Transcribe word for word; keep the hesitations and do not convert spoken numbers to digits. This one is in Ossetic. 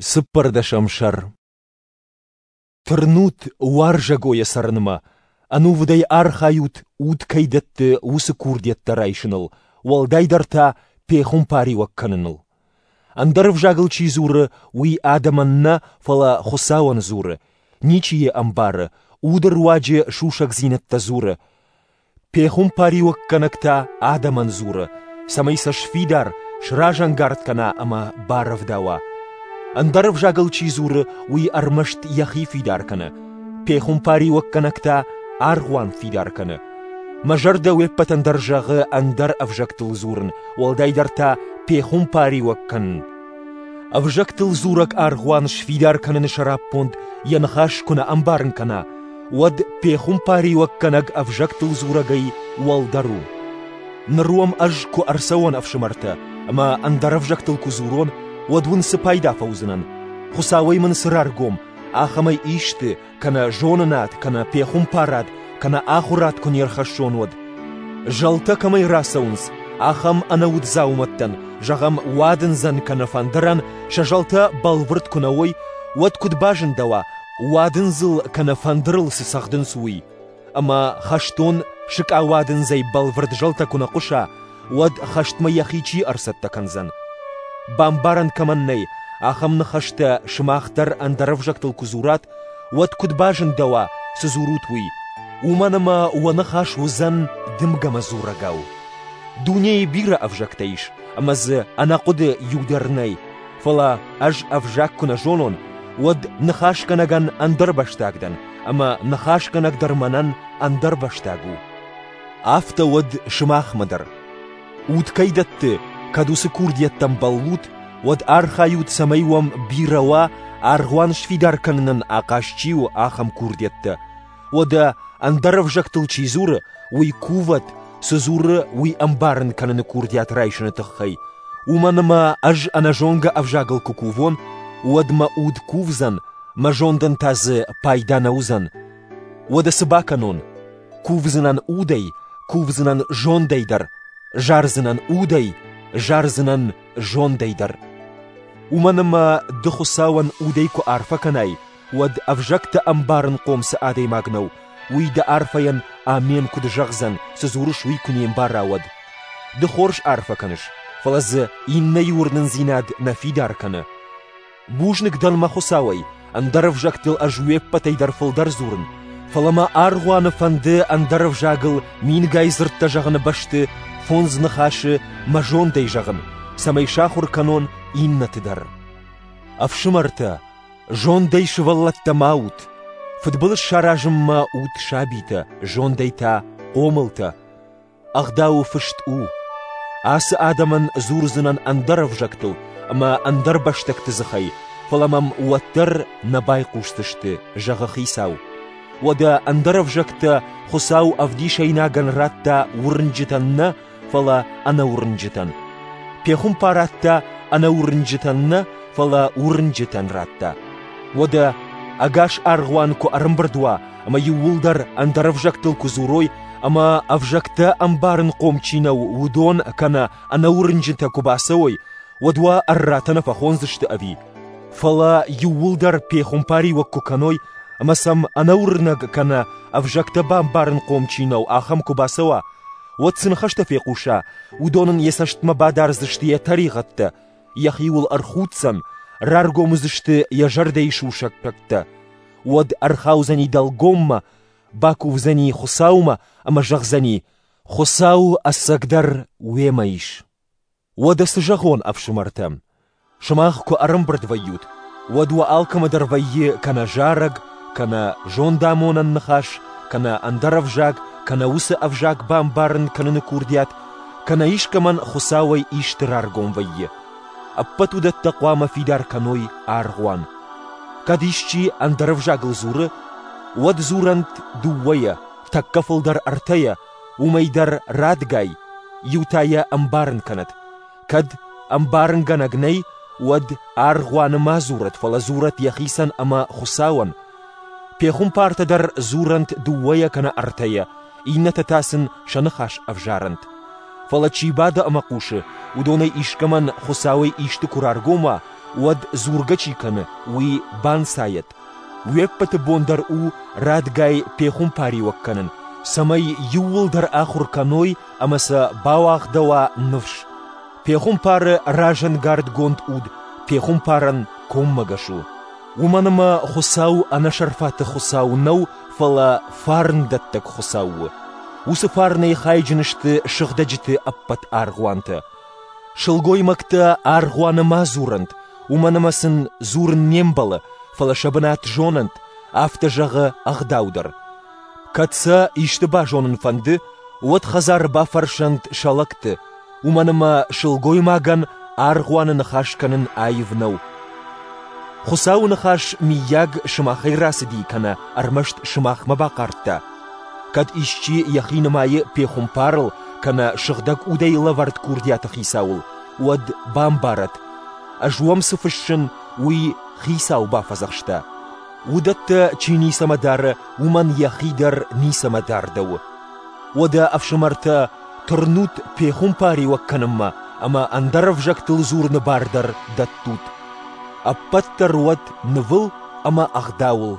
Цыппӕрдӕсӕм сӕр. Тырнут уарзӕгойӕ цӕрынмӕ, ӕнувыдӕй архайут, уд кӕй дӕтты, уыцы курдиӕттӕ райсыныл, уӕлдайдӕр та пехуымпариуӕг кӕныныл. Ӕндӕр ӕвзагыл чи дзуры, уый адӕмӕн нӕ, фӕлӕ Хуыцауӕн дзуры, ничи йӕ ӕмбары, уды руаджы сусӕгдзинӕдтӕ дзуры. Пехуымпариуӕггӕнӕг та адӕмӕн дзуры, цӕмӕй сӕ сфидар, сразӕнгард кӕна ӕмӕ барӕвдауа. Ӕндӕр ӕвзагыл чи дзуры, уый ӕрмӕст йӕхи фидар кӕны. Пехуымпариуӕггӕнӕг та аргъуан фидар кӕны. Мӕ зӕрдӕ уе ппӕтӕн дӕр зӕгъы ӕндӕр ӕвзӕгтыл дзурын, уӕлдайдӕр та пехуымпариуӕг кӕнын. Ӕвзӕгтыл дзурӕг аргъуан сфидар кӕныны сӕраппонд йӕ ныхас куы нӕ ӕмбарын кӕна, уӕд пехуымпариуӕггӕнӕг ӕвзӕгтыл дзурӕгӕй уӕлдӕр у. Ныр уӕм ӕз куы ӕрцӕуон, ӕфсымӕртӕ, ӕмӕ ӕндӕр ӕвзӕгтыл куы дзурон, уӕд уын цы пайда фӕуыдзынӕн? Хуыцауӕй мын цы раргом, ахӕмӕй исты, кӕнӕ зонынад, кӕнӕ пехуымпарад, кӕнӕ ахуырад куы не рхӕссон, уӕд. Зӕлтӕ кӕмӕй рацӕуынц, ахӕм ӕнӕуд дзаумӕттӕн, зӕгъӕм, уадындзӕн кӕнӕ фӕндырӕн, сӕ зӕлтӕ бӕлвырд куы нӕ уой, уӕд куыд базындӕуа, уадындзыл кӕнӕ фӕндырыл цы цӕгъдынц, уый? Ӕмӕ хӕстон сыкъауадындзӕй бӕлвырд зӕлтӕ куы нӕ хъуыса, уӕд хӕстмӕ йӕхи чи ӕрцӕттӕ кӕндзӕн? Бамбарӕн кӕмӕн нӕй, ахӕм ныхӕстӕ сымах дӕр ӕндӕр ӕвзӕгтыл куы дзурат, уӕд куыд базындӕуа, цы дзурут, уый? Уымӕн ӕмӕ уӕ ныхас уыдзӕн дымгӕмӕ дзурӕгау. Дунейы бирӕ ӕвзӕгтӕ ис, ӕмӕ дзы ӕнӕхъуыды иу дӕр нӕй, фӕлӕ ӕз ӕвзаг куы нӕ зонон, уӕд ныхасгӕнӕгӕн ӕндӕрбӕстаг дӕн, ӕмӕ ныхасгӕнӕг дӕр мӕнӕн ӕндӕрбӕстаг у. Афтӕ уӕд сымахмӕ дӕр. Уд кӕй дӕтты, кӕд уыцы курдиӕттӕм бӕллут, уӕд архайут, цӕмӕй уӕм бирӕ уа, аргъуан сфидар кӕнынӕн ахъаз чи у, ахӕм курдиӕттӕ. Уӕдӕ ӕндӕр ӕвзӕгтыл чи дзуры, уый кувӕд, цы дзуры, уый ӕмбарын кӕныны курдиат райсыны тыххӕй. Уымӕн ӕмӕ ӕз ӕнӕзонгӕ ӕвзагыл куы кувон, уӕд мӕ уд кувдзӕн, мӕ зондӕн та дзы пайда нӕ уыдзӕн. Уӕдӕ цы бакӕнон? Кувдзынӕн удӕй, кувдзынӕн зондӕй дӕр, зардзынӕн удӕй, зардзынӕн зондӕй дӕр. Уымӕн ӕмӕ ды Хуыцауӕн удӕй куы арфӕ кӕнай, уӕд ӕвзӕгтӕ ӕмбарынхъом цы адӕймаг нӕу, уый дӕ арфӕйӕн амен куыд зӕгъдзӕн, цы дзурыс, уый куы не мбара, уӕд. Ды хорз арфӕ кӕныс, фӕлӕ дзы иннӕйы уырнындзинад нӕ фидар кӕны. Бузныг дӕн мӕ Хуыцауӕй, ӕндӕр ӕвзӕгтыл ӕз уе ппӕтӕй дӕр фылдӕр дзурын, фӕлӕ мӕ аргъуаны фӕнды ӕндӕр ӕвзагыл мингай дзырдтӕ зӕгъыны бӕсты фондз ныхасы мӕ зондӕй зӕгъын, цӕмӕй сахуыр кӕнон иннӕты дӕр. Ӕфсымӕртӕ, зондӕй сывӕллӕттӕ ма ут, фыдбылыз саразынмӕ ут сабитӕ, зондӕй та хъомылтӕ. Ӕгъдауы фыст у: ацы адӕмӕн дзурдзынӕн ӕндӕр ӕвзӕгтыл ӕмӕ ӕндӕр бӕстӕгты дзыхӕй, фӕлӕ мӕм уӕддӕр нӕ байхъусдзысты, зӕгъы Хицау. Уӕдӕ ӕндӕр ӕвзӕгтӕ Хуыцау ӕвдисӕйнагӕн радта уырнджытӕн нӕ, фӕлӕ ӕнӕуырнджытӕн. Пехуымпарад та ӕнӕуырнджытӕн нӕ, фӕлӕ уырнджытӕн радта. Уӕдӕ ӕгас аргъуан куы ӕрӕмбырд уа ӕмӕ иууылдӕр ӕндӕр ӕвзӕгтыл куы дзурой, ӕмӕ ӕвзӕгтӕ ӕмбарынхъом чи нӕу, уыдон кӕнӕ ӕнӕуырнджытӕ куы бацӕуой, уӕд уӕ ӕрратӕ нӕ фӕхондзысты ӕви? Фӕлӕ иууылдӕр пехуымпариуӕг куы кӕной, ӕмӕ сӕм ӕнӕуырнӕг кӕнӕ ӕвзӕгтӕ бамбарынхъом чи нӕу, ахӕм куы бацӕуа, уӕд цы ныхӕстӕ фехъуса, уыдон ын йӕ цӕстмӕ бадардзысты йӕ тӕригъӕдтӕ, йӕхиуыл ӕрхуддзӕн, раргом уыдзысты йӕ зӕрдӕйы сусӕггӕгтӕ. Уӕд ӕрхаудзӕни дӕлгоммӕ, бакувдзӕни Хуыцаумӕ ӕмӕ зӕгъдзӕни: Хуыцау ӕцӕгдӕр уемӕ ис. Уӕдӕ цы зӕгъон, ӕфсымӕртӕ? Сымах куы ӕрӕмбырд вӕййут, уӕд уӕ алкӕмӕ дӕр вӕййы кӕнӕ зарӕг, кӕнӕ зондамонӕн ныхас, кӕнӕ ӕндӕр ӕвзаг, кӕнӕ уыцы ӕвзаг бамбарын кӕныны курдиат, кӕнӕ искӕмӕн Хуыцауӕй исты раргом вӕййы. Ӕппӕт уыдӕттӕ хъуамӕ фидар кӕной аргъуан. Кӕд исчи ӕндӕр ӕвзагыл дзуры, уӕд дзурӕнт дыууӕйӕ, тӕккӕ фылдӕр ӕртӕйӕ, уымӕй дӕр радгай, иу та йӕ ӕмбарын кӕнӕд. Кӕд ӕмбарынгӕнӕг нӕй, уӕд аргъуаны ма дзурӕд, фӕлӕ дзурӕд йӕхицӕн ӕмӕ Хуыцауӕн. Пехуымпартӕ дӕр дзурӕнт дыууӕйӕ кӕнӕ ӕртӕйӕ, иннӕтӕ та сын сӕ ныхас ӕвзарӕнт. Фӕлӕ чи бады ӕмӕ хъусы, уыдонӕй искӕмӕн Хуыцауӕй исты куы раргом уа, уӕд дзургӕ чи кӕны, уый банцайӕд. Уе ппӕты бон дӕр у радгай пехуымпариуӕг кӕнын, цӕмӕй иууылдӕр ахуыр кӕной ӕмӕ сӕ бауагъдӕуа ныфс. Пехуымпары разӕнгардгонд уд пехуымпарӕн коммӕгӕс у. Уымӕн ӕмӕ Хуыцау ӕнӕсӕрфаты Хуыцау нӕу, фӕлӕ фарндӕттӕг Хуыцау у. Уыцы фарнӕй хайджын сты сыгъдӕджыты ӕппӕт аргъуантӕ. Сылгоймӕгтӕ аргъуаны ма дзурӕнт, уымӕн ӕмӕ сын дзурын не мбӕлы, фӕлӕ сӕ бынат зонӕнт, афтӕ зӕгъы ӕгъдау дӕр. Кӕд сӕ исты базонын фӕнды, уӕд хӕдзары бафӕрсӕнт сӕ лӕгты, уымӕн ӕмӕ сылгоймагӕн аргъуаны ныхас кӕнын аив нӕу. Хуыцауы ныхас миййаг сымахӕй рацыди кӕнӕ ӕрмӕст сымахмӕ бахъардта? Кӕд исчи йӕхи нымайы пехуымпарыл кӕнӕ сыгъдӕг удӕй лӕвӕрд курдиаты хицауыл, уӕд бамбарӕд, ӕз уӕм цы фыссын, уый Хицау бафӕдзӕхста. Уыдӕттӕ чи ницӕмӕ дары, уымӕн йӕхи дӕр ницӕмӕ дардӕуы. Уӕдӕ, ӕфсымӕртӕ, тырнут пехуымпариуӕг кӕнынмӕ ӕмӕ ӕндӕр ӕвзӕгтыл дзурыны бар дӕр дӕттут. Ӕппӕт дӕр уӕд нывыл ӕмӕ ӕгъдауыл.